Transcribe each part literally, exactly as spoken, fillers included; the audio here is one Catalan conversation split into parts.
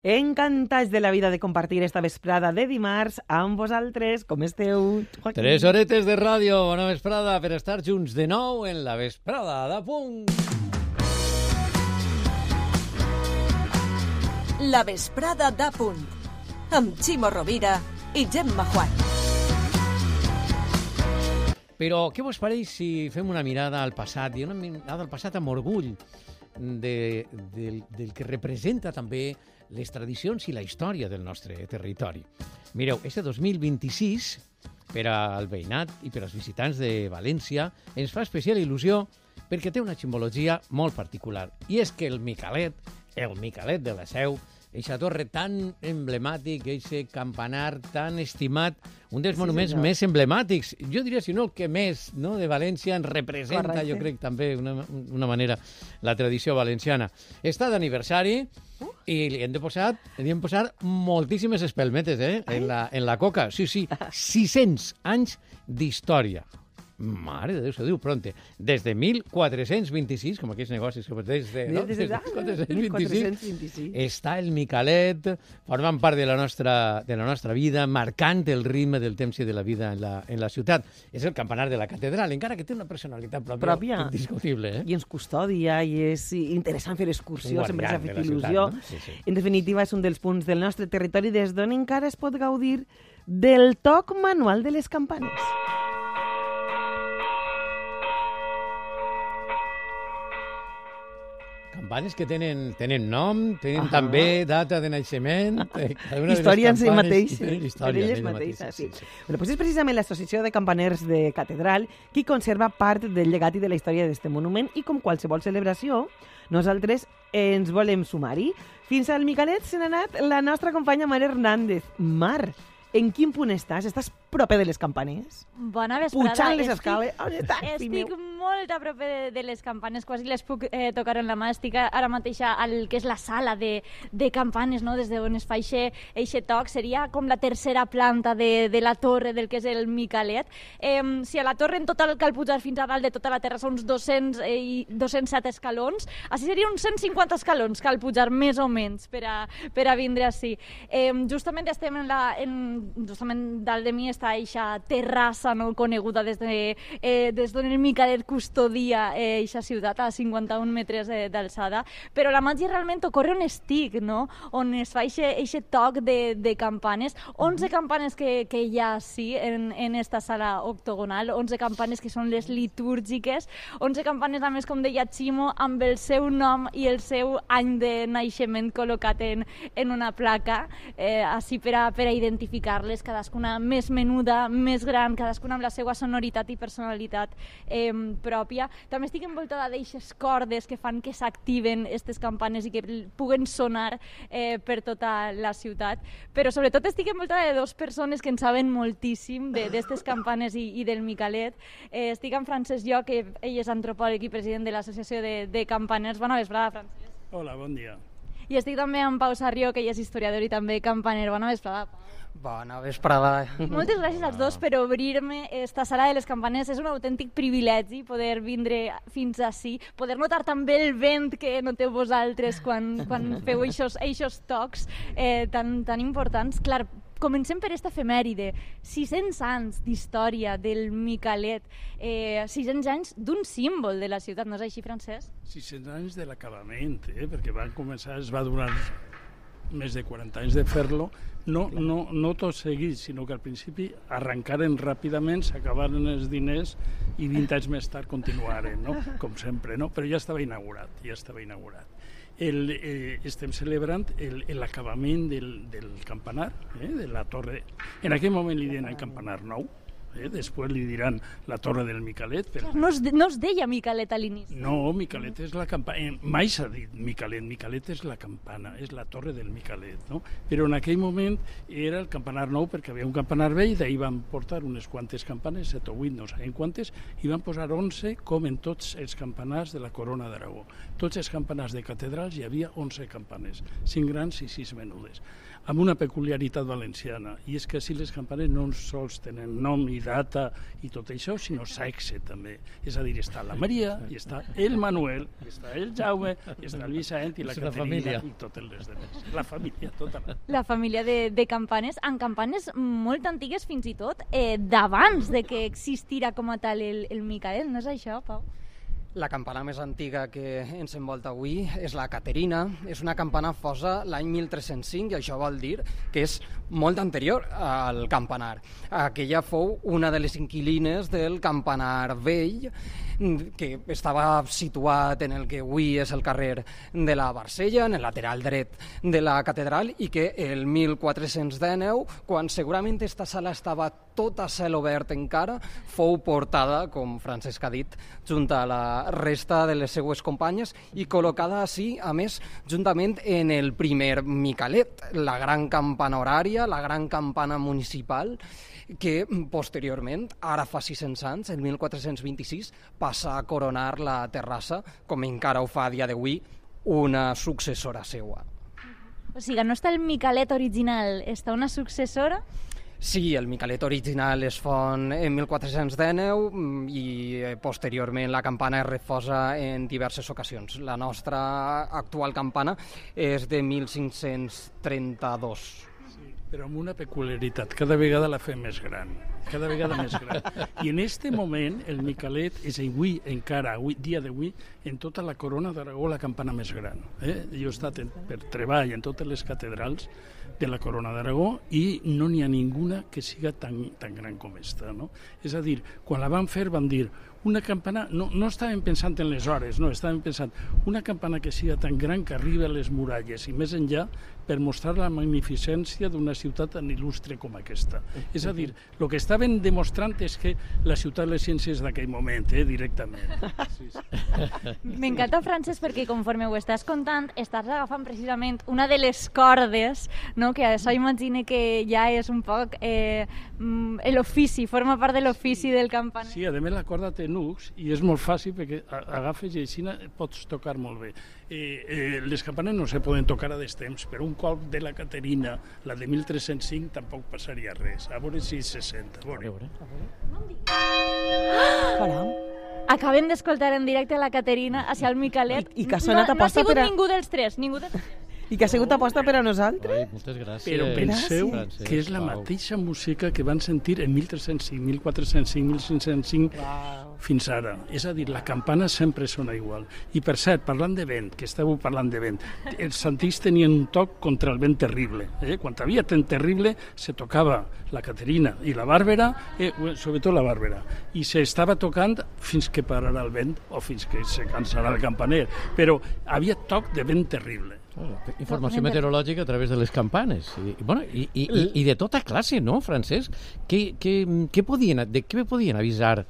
Encantats de la vida de compartir esta vesprada de dimarts amb vosaltres. Com esteu, Joaquín? Tres horetes de ràdio, bona vesprada, per estar junts de nou en la vesprada de punt. La vesprada de punt, amb Ximo Rovira i Gemma Juan. Però què vos pareix si fem una mirada al passat, i una mirada al passat amb orgull de, del, del que representa també les tradicions i la història del nostre territori. Mireu, este dos mil vint-i-sis, per al veïnat i per als visitants de València, ens fa especial il·lusió perquè té una simbologia molt particular. I és que el Micalet, el Micalet de la Seu, eixa torre tan emblemàtic, eixe campanar tan estimat, un dels sí, monuments senyor. més emblemàtics, jo diria, si no el que més, no, de València ens representa, correcte. Jo crec també una, una manera, la tradició valenciana. Està d'aniversari uh. i li hem de posar, li hem posat moltíssimes espelmetes eh, en, la, en la coca. Sí, sí, sis-cents anys d'història. Mare de Déu, se diu pronte. Des de mil quatre-cents vint-i-sis, com aquells negocis que des de, no? des de mil quatre-cents vint-i-sis, està el Micalet, formant part de la nostra, de la nostra vida, marcant el ritme del temps i de la vida en la, en la ciutat. És el campanar de la catedral, encara que té una personalitat pròpia, pròpia. indiscutible. Eh? I ens custodia, i és interessant fer excursió, sempre s'ha fet il·lusió. Ciutat, no? sí, sí. En definitiva, és un dels punts del nostre territori des d'on encara es pot gaudir del toc manual de les campanes. Campanes que tenen, tenen nom, tenen ah també data de naixement. Història en si mateixa. Història en elles mateixes, sí. sí. Bueno, pues és precisament l'Associació de Campaners de Catedral qui conserva part del llegat i de la història d'aquest monument, i com qualsevol celebració, nosaltres ens volem sumar-hi. Fins al Micalet se n'ha anat la nostra companya Mar Hernández. Mar, en quin punt estàs? Estàs proper de les campanes? Bona vesprada. Pujant les escales? On estàs, Estic molt a proper de, de les campanes, quasi les puc eh, tocar en la mà. Estic ara mateix al que és la sala de, de campanes, no? Des d'on es fa eixe toc. Seria com la tercera planta de, de la torre del que és el Micalet. Eh, si a la torre en total cal pujar fins a dalt de tota la terra són uns dos-cents i dos-cents set escalons, així seria uns cent cinquanta escalons cal pujar més o menys per a, per a vindre així. Eh, justament estem en la... En, justament dalt de mi està eixa terrassa no coneguda des de, eh, des d'on el Micalet custodia eixa eh, ciutat a cinquanta-un metres eh, d'alçada, però la màgia realment ocorre on estic, no? On es fa eixe toc de, de campanes, onze campanes que, que hi ha sí, en, en esta sala octogonal, onze campanes que són les litúrgiques, onze campanes a més, com deia Ximo, amb el seu nom i el seu any de naixement col·locat en, en una placa, eh, així per a, per a identificar-les, cadascuna més menuda, més gran, cadascuna amb la seva sonoritat i personalitat eh, pròpia. També estic envoltada d'eixes cordes que fan que s'activen aquestes campanes i que puguen sonar eh, per tota la ciutat, però sobretot estic envoltada de dues persones que en saben moltíssim d'aquestes campanes i, i del Micalet. Eh, estic amb Francesc Lloc, que ell és antropòleg i president de l'Associació de, de Campaners. Bona vesprada, Francesc. Hola, bon dia. I estic també amb Pau Sarrió, que ell és historiador i també campaner. Bona vesprada, Pau. Bona vesprada. Moltes gràcies als dos per obrir-me esta sala de les campanes. És un autèntic privilegi poder vindre fins ací, poder notar també el vent que noteu vosaltres quan, quan feu eixos tocs eh, tan, tan importants. Clar, comencem per esta efemèride. sis-cents anys d'història del Micalet, eh, sis-cents anys d'un símbol de la ciutat, no és així, Francesc? sis-cents anys de l'acabament, eh? perquè van començar, es va durar més de quaranta anys de fer-lo, no, no, no tot seguit, sinó que al principi arrencaren ràpidament, s'acabaren els diners i vint anys més tard continuaren, no? Com sempre, no? Però ja estava inaugurat, ja estava inaugurat. El, eh, estem celebrant l'acabament del, del campanar, eh, de la torre. En aquell moment li deien el campanar nou, eh? Després li diran la torre del Micalet. Però... No, es de, no es deia Micalet a l'inici. No, Micalet és la campana. Eh, mai s'ha dit Micalet. Micalet és la campana, és la torre del Micalet, no? Però en aquell moment era el campanar nou perquè havia un campanar vell, d'ahir van portar unes quantes campanes, set o vuit, no sabem quantes, i van posar onze com en tots els campanars de la Corona d'Aragó. Tots els campanars de catedrals hi havia onze campanes, cinc grans i sis menudes, amb una peculiaritat valenciana, i és que si les campanes no sols tenen nom i i data i tot això, sinó sexe també. És a dir, està la Maria, i està el Manuel, i està el Jaume, i està el Vicent i la És la Caterina família. i totes les demés. La família, tota la... La família de, de campanes, en campanes molt antigues fins i tot, eh, d'abans de que existira com a tal el, el Micalet, no és això, Pau? La campana més antiga que ens envolta avui és la Caterina. És una campana fosa l'any mil tres-cents cinc i això vol dir que és molt anterior al campanar. Aquella fou una de les inquilines del campanar vell, que estava situat en el que avui és el carrer de la Barcella, en el lateral dret de la catedral, i que el mil quatre-cents dinou, quan segurament aquesta sala estava tot a cel obert encara, fou portada, com Francesc ha dit, junt a la resta de les seues companyes i col·locada així, a més, juntament en el primer Micalet, la gran campana horària, la gran campana municipal, que posteriorment, ara fa sis-cents anys, el mil quatre-cents vint-i-sis, passa a coronar la terrassa, com encara ho fa a dia d'avui, una successora seua. O sigui, no està el Micalet original, està una successora? Sí, el Micalet original es fon en mil quatre-cents dinou i posteriorment la campana es refosa en diverses ocasions. La nostra actual campana és de mil cinc-cents trenta-dos. Però amb una peculiaritat, cada vegada la fem més gran, cada vegada més gran. I en este moment el Micalet és avui, encara, avui, dia d'avui, en tota la corona d'Aragó la campana més gran. Eh? Jo he estat en, per treball en totes les catedrals de la corona d'Aragó i no n'hi ha ninguna que siga tan, tan gran com esta. No? És a dir, quan la van fer van dir una campana, no, no estàvem pensant en les hores, no, estàvem pensant una campana que siga tan gran que arriba a les muralles i més enllà per mostrar la magnificència d'una ciutat tan il·lustre com aquesta. És a dir, el que estaven demostrant és que la ciutat de les ciències d'aquell moment, eh, directament. Sí, sí. M'encanta, Francesc, perquè conforme ho estàs contant, estàs agafant precisament una de les cordes, no? Que això imagine que ja és un poc eh, l'ofici, forma part de l'ofici del campaner. Sí, a més la corda té nucs i és molt fàcil perquè agafes i així pots tocar molt bé. Eh, eh, les campanes no se poden tocar a destemps, però un cop de la Caterina, la de mil tres-cents cinc, tampoc passaria res. A veure si se sent. A veure. Caram. Acabem d'escoltar en directe la Caterina hacia el Micalet. I, i que ha sonat no, aposta no ha sigut per a... ningú dels tres, ningú dels tres. I que ha sigut aposta per a nosaltres. Ai, moltes gràcies. Però penseu Francesc, que és la Pau. mateixa música que van sentir en mil tres-cents cinc, mil quatre-cents cinc, mil cinc-cents cinc Wow. fins ara. És a dir, la campana sempre sona igual. I per cert, parlant de vent, que estàveu parlant de vent, els santís tenien un toc contra el vent terrible. Eh? Quan havia vent terrible se tocava la Caterina i la Bàrbara, eh, sobretot la Bàrbara, i s'estava tocant fins que pararà el vent o fins que se cansarà el campaner. Però havia toc de vent terrible. Informació meteorològica a través de les campanes. I, i, bueno, i, i, i, i de tota classe, no, Francesc? Què, què, què podien, de què podien avisar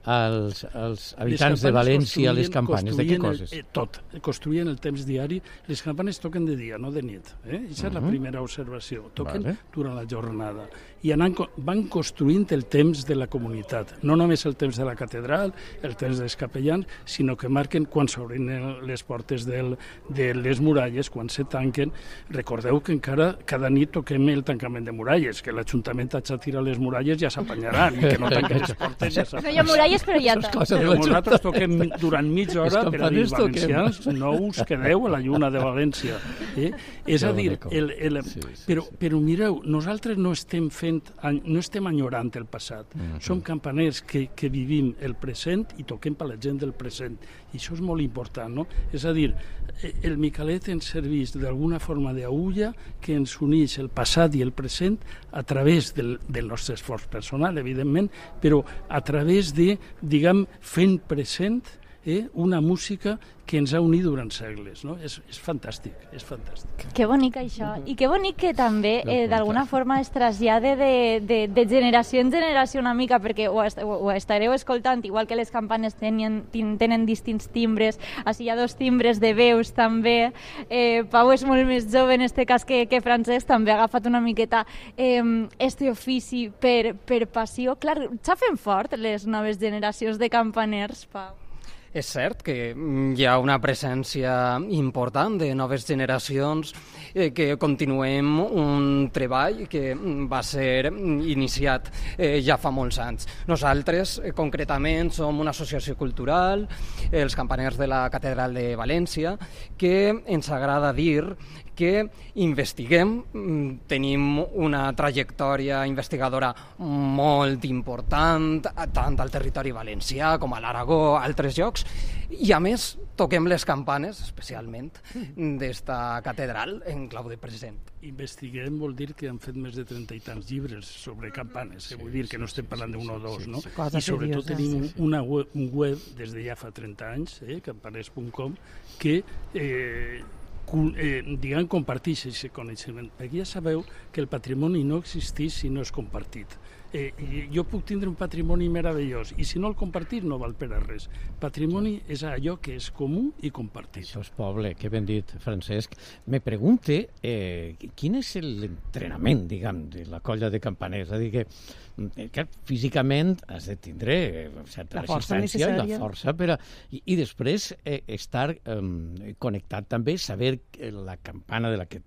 als, als habitants de València les campanes? De què coses? El, eh, tot. Construïen el temps diari. Les campanes toquen de dia, no de nit. Eh? Aquesta és la primera observació. Toquen Vale. durant la jornada. I anant, van construint el temps de la comunitat. No només el temps de la catedral, el temps dels capellans, sinó que marquen quan s'obren les portes del, de les muralles, quan se tanquen. Recordeu que encara cada nit toquem el tancament de muralles, que l'Ajuntament ha de tirar les muralles ja s'apanyaran, i que no tanquen les portes ja No hi ha muralles, però ja Això és està. cosa de Però l'Ajuntament. nosaltres toquem mi- durant mitja hora Els per a dir, campaners toquem. valencians, no us quedeu a la lluna de València. Eh? És a dir, el, el, Sí, sí, però, sí. però mireu, nosaltres no estem fent, no estem enyorant el passat. Mhm. Som campaners que, que vivim el present i toquem per la gent del present. I això és molt important, no? És a dir, el Micalet ens serveix d'alguna forma d'agulla que ens uneix el passat i el present a través del, del nostre esforç personal, evidentment, però a través de, diguem, fent present eh, una música que ens ha unit durant segles, no? És, és fantàstic, és fantàstic. Que bonic això. I que bonic que també eh, d'alguna forma es trasllade de, de, de generació en generació una mica, perquè ho, est ho, ho estareu escoltant, igual que les campanes tenien, tenen distints timbres, així hi ha dos timbres de veus també. Eh, Pau és molt més jove en este cas que, que Francesc, també ha agafat una miqueta eh, este ofici per, per passió. Clar, xafen fort les noves generacions de campaners, Pau. És cert que hi ha una presència important de noves generacions eh, que continuem un treball que va ser iniciat eh, ja fa molts anys. Nosaltres, eh, concretament, som una associació cultural, eh, els campaners de la Catedral de València, que ens agrada dir que investiguem, tenim una trajectòria investigadora molt important, tant al territori valencià com a l'Aragó, a altres llocs, i a més toquem les campanes, especialment, d'esta catedral en clau de present. Investiguem vol dir que han fet més de trenta i tants llibres sobre campanes, eh? Vull dir que no estem parlant d'un o dos, no? I sobretot tenim una web, un web des de ja fa trenta anys, eh, campaners punt com, que eh, Eh, diguem, comparteix aquest coneixement, perquè ja sabeu que el patrimoni no existeix si no és compartit. Eh, jo puc tindre un patrimoni meravellós i si no el compartit no val per a res. Patrimoni és allò que és comú i compartit. Això és poble, que ben dit, Francesc. Me pregunte eh, quin és l'entrenament, diguem, de la colla de campaners. És a dir, que, que físicament has de tindre certa resistència i la força per a... I, i després eh, estar eh, connectat també, saber la campana de la que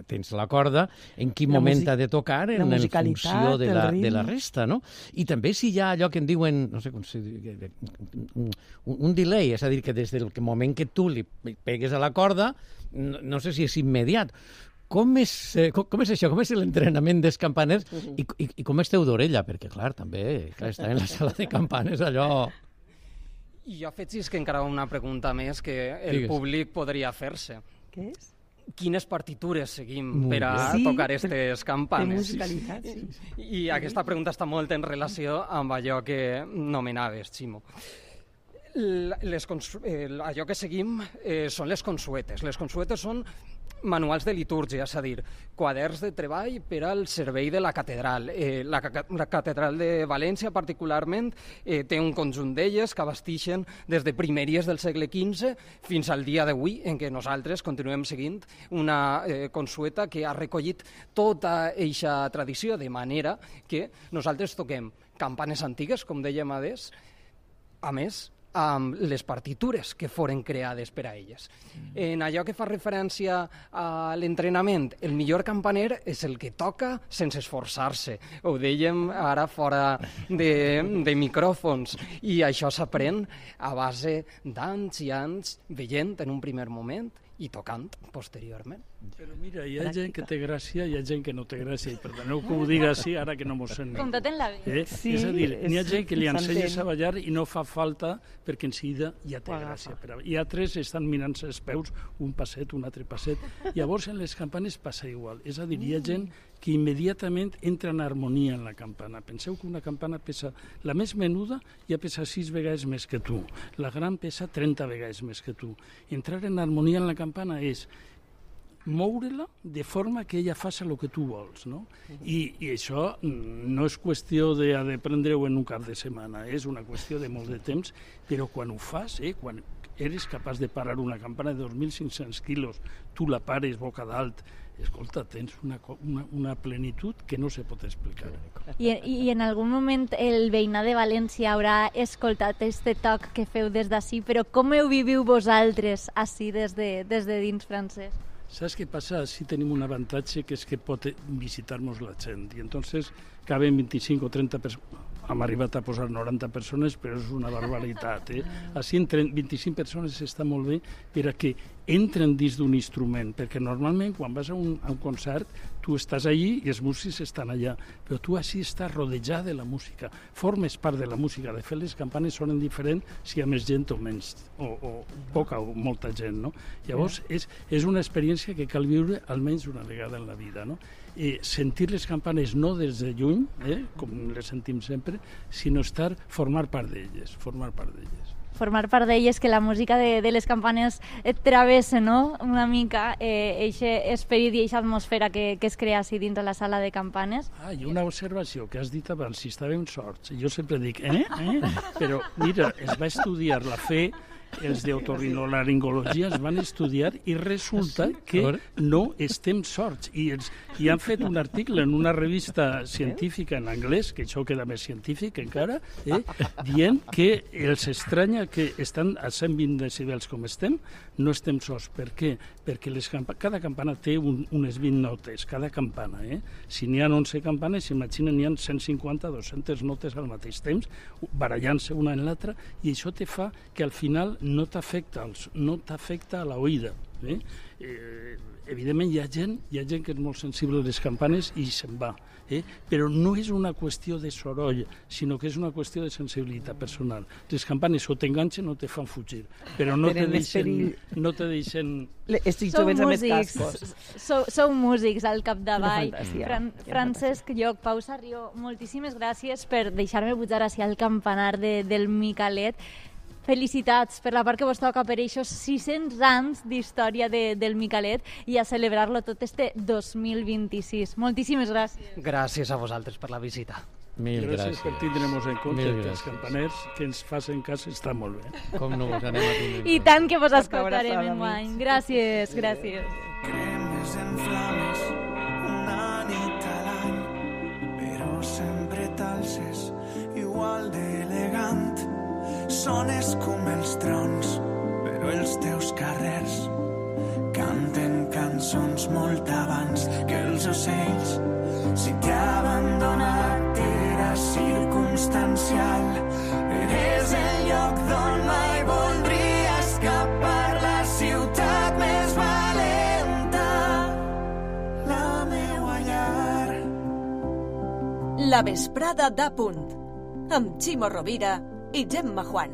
tens la corda, en quin la moment ha de tocar, en funció de la, de la resta, no? I també si hi ha allò que en diuen, no sé com si un, un delay, és a dir, que des del moment que tu li pegues a la corda, no, no sé si és immediat. Com és, com, com és això? Com és l'entrenament dels campaners? I, i, i com esteu d'orella? Perquè, clar, també, clar, estar en la sala de campanes, allò... I jo afegis que encara una pregunta més que el Digues. públic podria fer-se. Què és? Quines partitures seguim per a sí, tocar aquestes campanes? De musicalitat, sí. I, I aquesta pregunta està molt en relació amb allò que nomenaves, Ximo. Les, eh, allò que seguim eh, són les consuetes. Les consuetes són manuals de litúrgia, és a dir, quaderns de treball per al servei de la catedral. Eh, la, la catedral de València, particularment, eh, té un conjunt d'elles que abastixen des de primeries del segle quinze fins al dia d'avui, en què nosaltres continuem seguint una eh, consueta que ha recollit tota eixa tradició, de manera que nosaltres toquem campanes antigues, com dèiem adés, a més, amb les partitures que foren creades per a elles. En allò que fa referència a l'entrenament, el millor campaner és el que toca sense esforçar-se. Ho dèiem ara fora de, de micròfons, i això s'aprèn a base d'anys i anys veient en un primer moment i tocant posteriorment. Però mira, hi ha gent que té gràcia i hi ha gent que no té gràcia, i perdoneu que ho diga així ara que no m'ho sent. Com tot en la vida. Eh? Sí, és a dir, n'hi ha gent que li ensenyes a ballar i no fa falta perquè en seguida ja té gràcia. I altres estan mirant-se els peus, un passet, un altre passet. Llavors en les campanes passa igual. És a dir, hi ha gent que immediatament entra en harmonia en la campana. Penseu que una campana pesa, la més menuda ja pesa sis vegades més que tu, la gran pesa trenta vegades més que tu. Entrar en harmonia en la campana és moure-la de forma que ella faci el que tu vols, no? I, i això no és qüestió d'aprendre-ho en un cap de setmana, és una qüestió de molt de temps, però quan ho fas, eh, quan eres capaç de parar una campana de dos mil cinc-cents quilos, tu la pares boca dalt, escolta, tens una, una, una plenitud que no se pot explicar. I, I en algun moment el veïnat de València haurà escoltat este toc que feu des d'ací, però com ho viviu vosaltres ací des de, des de dins, Francesc? Saps què passa? Sí tenim un avantatge que és que pot visitar-nos la gent i entonces caben vint-i-cinc o trenta persones. Hem arribat a posar noranta persones, però és una barbaritat. Eh? Així entre vint-i-cinc persones està molt bé per a que entren dins d'un instrument, perquè normalment quan vas a un, a un concert tu estàs allí i els músics estan allà, però tu així estàs rodejat de la música, formes part de la música. De fet, les campanes sonen diferents si hi ha més gent o menys, o, o poca o molta gent, no? Llavors, és, és una experiència que cal viure almenys una vegada en la vida, no? Eh, sentir les campanes no des de lluny, eh, com les sentim sempre, sinó estar, formar part d'elles, formar part d'elles. Formar part d'elles, que la música de, de les campanes et travessa, no?, una mica, eixe eh, esperit i eixa atmosfera que, que es crea així dins de la sala de campanes. Ah, i una observació que has dit abans, si estàvem sorts. Jo sempre dic, eh, eh? Però mira, es va estudiar la fe els d'otorrinolaringologia es van estudiar i resulta que no estem sords. I, els, I han fet un article en una revista científica en anglès, que això queda més científic encara, eh, dient que els estranya que estan a cent vint decibels com estem, no estem sords. Per què? Perquè les campa cada campana té un, unes vint notes, cada campana. Eh? Si n'hi ha onze campanes, imaginen, n'hi ha cent cinquanta, dues-centes notes al mateix temps, barallant-se una en l'altra, i això te fa que al final no t'afecta no t'afecta a l'oïda. Eh? Eh, evidentment hi ha gent hi ha gent que és molt sensible a les campanes i se'n va, eh? Però no és una qüestió de soroll, sinó que és una qüestió de sensibilitat personal. Les campanes o t'enganxen o te fan fugir, però no te deixen, no te deixen... Estic jovents amb els cascos. Sou, sou músics al capdavall. Fran Francesc Lloc, Pau Sarrió, moltíssimes gràcies per deixar-me pujar així al campanar de, del Micalet. Felicitats per la part que vos toca per aquests sis-cents anys d'història de, del Micalet i a celebrar-lo tot este dos mil vint-i-sis. Moltíssimes gràcies. Gràcies a vosaltres per la visita. Mil gràcies. Gràcies per tindre-nos en compte, que els campaners que ens facin cas està molt bé. Com no vos anem a tindre? I tant que vos escoltarem enguany. Gràcies, gràcies. Cremes en flames una nit a l'any, però sempre t'alces igual d'elegant. Sones com els trons, però els teus carrers canten cançons molt abans que els ocells. Si t'he abandonat era circumstancial, eres el lloc d'on mai voldria escapar, la ciutat més valenta, la meua llar. La vesprada d'A Punt, amb Ximo Rovira i Gemma Juan.